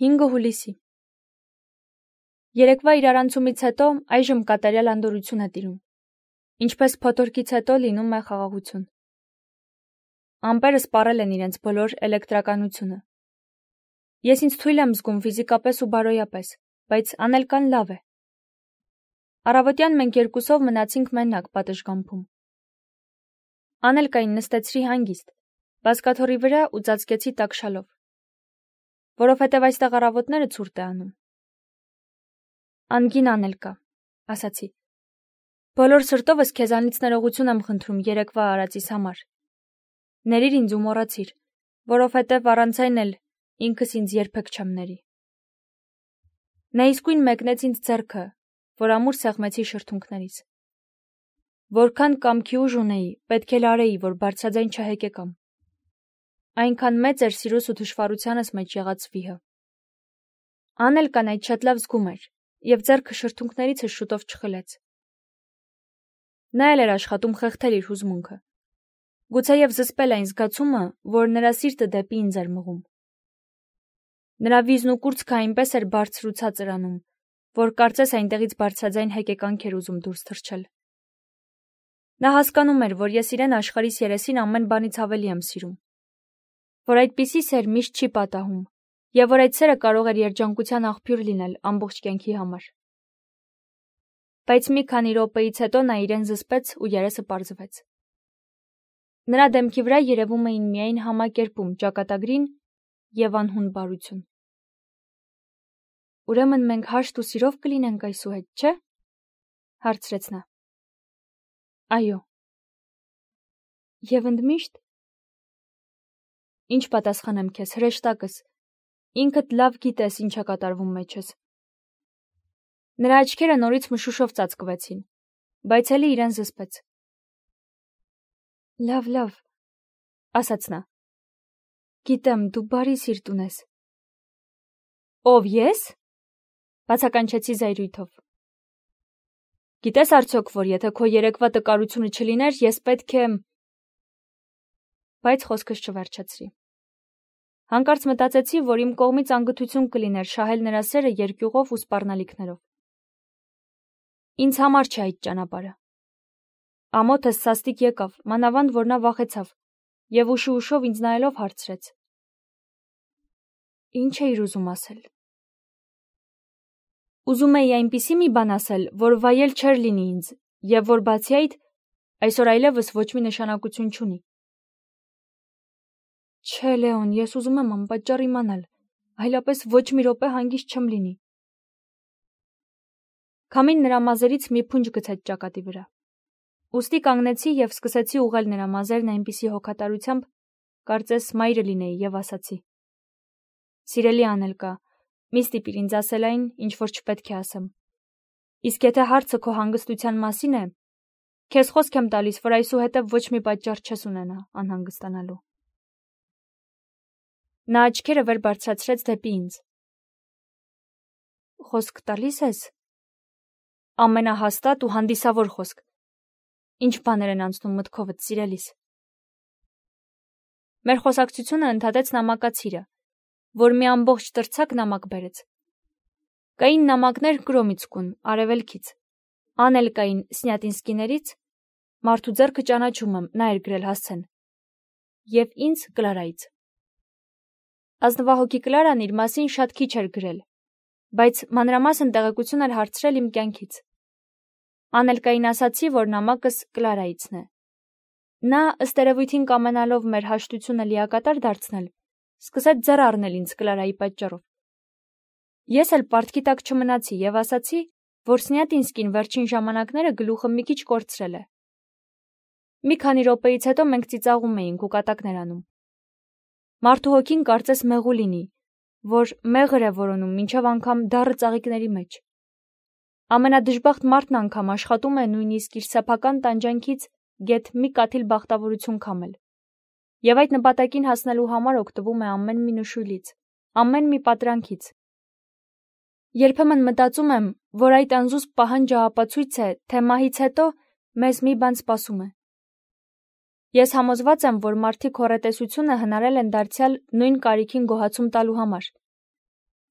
5 հուլիսի։ Երեկվա իրարանցումից հետո այժմ կատարյալ անդորրություն է տիրում, ինչպես փոթորկից հետո լինում է խաղաղություն։ Ամպերը սպառել են իրենց բոլոր էլեկտրականությունը։ Ես ինձ թույլ եմ զգում ֆիզիկապես ու բարոյապես, բայց Անելկան լավ է։ Առավոտյան մենք երկուսով մնացինք մենակ պատշգամբում։ Անելկային նստեցրի հանգիստ, բազկաթոռի վրա ու ծածկեցի տակշալով, որովհետև այստեղ առավոտները ցուրտ է անում։ Անգին Անելկա, ասացի, բոլոր սրտովս քեզանից ներողություն եմ խնդրում երեկվա արածիս համար։ Ներիր ինձ ու մոռացիր, որովհետև առանց այն էլ ինքս ինձ երբեք չեմ ների։ Նա իսկույն մեկնեց ինձ ձեռքը, որ ամուր սեղմեցի շրթունքներիս։ Որքան կամքի ուժ ունեի, պետք է լարեի, որ բարձրաձայն չհեկեկամ։ Այնքան մեծ էր սիրուս ու թշվառությանս մեջ եղած վիհը։ Անելկան այդ շատ լավ զգում էր, և ձեռքը շրթունքներիցս շուտով չխլեց։ Նա էլ էր աշխատում խեղդել իր հուզմունքը։ Գուցեև զսպել այն զգացումը, որ նրա սիրտը դեպի ինձ էր մղում։ Նրա վիզն ու կուրծքը այնպես էր բարձր ու ցածր անում, որ կարծես այնտեղից բարձրաձայն հեկեկանք էր ուզում դուրս թռչել։ Նա հասկանում էր, որ ես իրեն աշխարհիս երեսին ամեն բանից ավելի եմ սիրում, որ այդպիսի սեր միշտ չի պատահում, և որ այդ սերը կարող էր երջանկության աղբյուր լինել ամբողջ կյանքի համար։ Բայց մի քանի րոպեից հետո նա իրեն զսպեց ու երեսը պարզվեց։ Նրա դեմքի վրա երևում էին միայն համակերպում, ճակատագրին և անհուն բարություն։ Ուրեմն մենք հաշտ ու սիրով կլինենք այսուհետ, չէ՞, հարցրեց նա։ Այո։ Եվ ընդմիշտ։ Ինչ պատասխանեմ քեզ, հրեշտակս, ինքդ լավ գիտես ինչ է կատարվում մեջս։ Նրա աչքերը նորից մշուշով ծածկվեցին, բայց էլի իրեն զսպեց։ Լավ, ասաց նա։ Գիտեմ, դու բարի սիրտ ունես։ Ով ես? Բացականչեցի զայրույթով։ Գիտես արդյոք, որ եթե քո երեկվա տկարությունը չլիներ, ես պետք է… Բայց խոսքս չվերջացրի։ Հանկարծ մտածեցի, որ իմ կողմից անգթություն կլիներ շահել նրա սերը երկյուղով ու սպառնալիքներով։ Ինձ համար չէ այդ ճանապարհը։ Ամոթս սաստիկ եկավ, մանավանդ որ նա վախեցավ, և ուշով ինձ նայելով հարցրեց. Ինչ էիր ուզում ասել։ Ուզում էի այնպիսի մի բան ասել, որ վայել չէր լինի ինձ, և որ բացի այդ, այսօր այլևս ոչ մի նշանակություն չունի։ Չէ, Լեոն, ես ուզում եմ անպատճառ իմանալ, այլապես ոչ մի րոպե հանգիստ չեմ լինի։ Քամին նրա մազերից մի փունջ գցեց ճակատի վրա։ Ուստի կանգնեցի և սկսեցի ուղղել նրա մազերն այնպիսի հոգատարությամբ, կարծես մայրը լինեի, և ասացի. Սիրելի Անելկա, մի ստիպիր ինձ ասել այն, ինչ որ չպետք է ասեմ։ Իսկ եթե հարցը քո հանգստության մասին է, քեզ խոսք եմ տալիս, որ այսուհետև ոչ մի պատճառ չես ունենա անհանգստանալու։ Նա աչքերը վեր բարձրացրեց դեպի ինձ։ Խոսք տալիս ես։ Ամենահաստատ ու հանդիսավոր խոսք։ Ինչ բաներ են անցնում մտքովդ, սիրելիս։ Մեր խոսակցությունը ընդհատեց նամակացիրը, որ մի ամբողջ տրցակ նամակ բերեց։ Կային նամակներ Կրոմիցկուն, արևելքից, Անելկային Սնյատինսկիներից, մարդու ձեռքը ճանաչում եմ, նա էր գրել հասցեն, և ինձ Կլարայից։ Ազնվահոգի Կլարան իր մասին շատ քիչ էր գրել, բայց մանրամասն տեղեկություն էր հարցրել իմ կյանքից։ Անելկային ասացի, որ նամակս Կլարայիցն է։ Նա, ըստ երևույթին կամենալով մեր հաշտությունը լիակատար դարձնել, սկսեց ձեռ առնել ինձ Կլարայի պատճառով։ Ես էլ պարտքի տակ չմնացի և ասացի, որ Սնյատինսկին վերջին ժամանակները գլուխը մի քիչ կորցրել է։ Մի քանի րոպեից հետո մենք ծիծաղում էինք ու կատակներ անում։ Մարդու հոգին կարծես մեղու լինի, որ մեղր է որոնում մինչև անգամ դառը ծաղիկների մեջ։ Ամենադժբախտ մարդն անգամ աշխատում է նույնիսկ իր սեփական տանջանքից գեթ մի կաթիլ բախտավորություն քամել։ Եվ այդ նպատակին հասնելու համար օգտվում է ամեն մի նշույլից, ամեն մի պատրանքից։ Երբեմն մտածում եմ, որ այդ անզուսպ պահանջը ապացույց է, թե մահից հետո մեզ մի բան սպասում է։ Ես համոզված եմ, որ մարդիկ հոռետեսությունը հնարել են դարձյալ նույն կարիքին գոհացում տալու համար։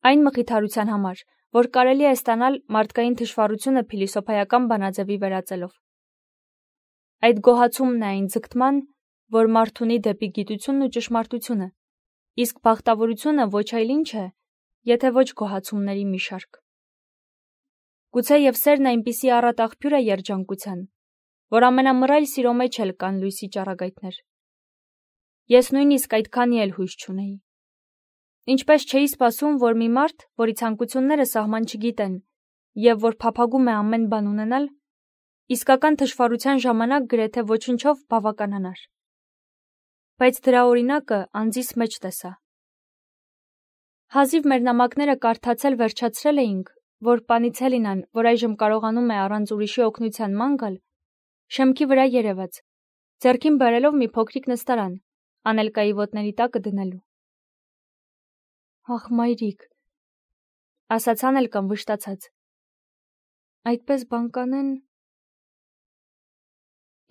Այն մխիթարության համար, որ կարելի է ստանալ մարդկային թշվառությունը փիլիսոփայական բանաձևի վերածելով։ Այդ գոհացումն է այն ձգտման, որ մարդ ունի դեպի գիտությունն ու ճշմարտությունը, իսկ բախտավորությունը ոչ այլ ինչ է, եթե ոչ գոհացումների մի շարք։ Գուցե և սերն այնպիսի առատ աղբյուր է երջանկության, որ ամենամռայլ սիրո մեջ էլ կան լույսի ճառագայթներ։ Ես նույնիսկ այդքանի էլ հույս չունեի։ Ինչպես չէի սպասում, որ մի մարդ, որի ցանկությունները սահման չգիտեն և որ փափագում է ամեն բան ունենալ, իսկական թշվառության ժամանակ գրեթե ոչնչով բավականանար։ Բայց դրա օրինակը անձիս մեջ տեսա։ Հազիվ մեր նամակները կարդացել վերջացրել էինք, որ պանից Հելինան, որ այժմ կարողանում է առանց ուրիշի օգնության ման գալ, շեմքի վրա երևաց, ձեռքին բերելով մի փոքրիկ նստարան, Անելկայի ոտների տակը դնելու։ Ախ, մայրիկ, ասաց Անելկան վշտացած։ Այդպես բան կանեն։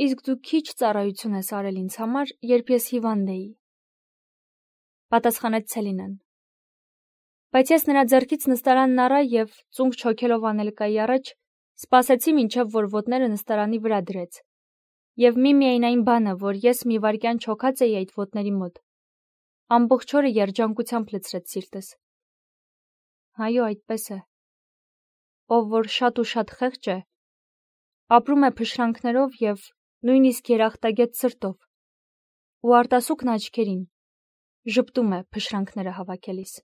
Իսկ դու քիչ ծառայություն ես արել ինձ համար, երբ ես հիվանդ էի, պատասխանեց Ցելինան։ Բայց ես նրա ձեռքից նստարանն առա և, ծունկ չոքելով Անելկայի առաջ, սպասեցի մինչև որ ոտները նստարանի վրա դրեց, և միայն այն բանը, որ ես մի վայրկյան չոքած էի այդ ոտների մոտ, ամբողջ օրը երջանկությամբ լցրեց սիրտս։ Այո, այդպես է։ Ով որ շատ ու շատ խեղճ է, ապրում է փշրանքներով և նույնիսկ երախտագետ սրտով, ու արտասուքն աչքերին, ժպտում է փշրանքները հավաքելիս։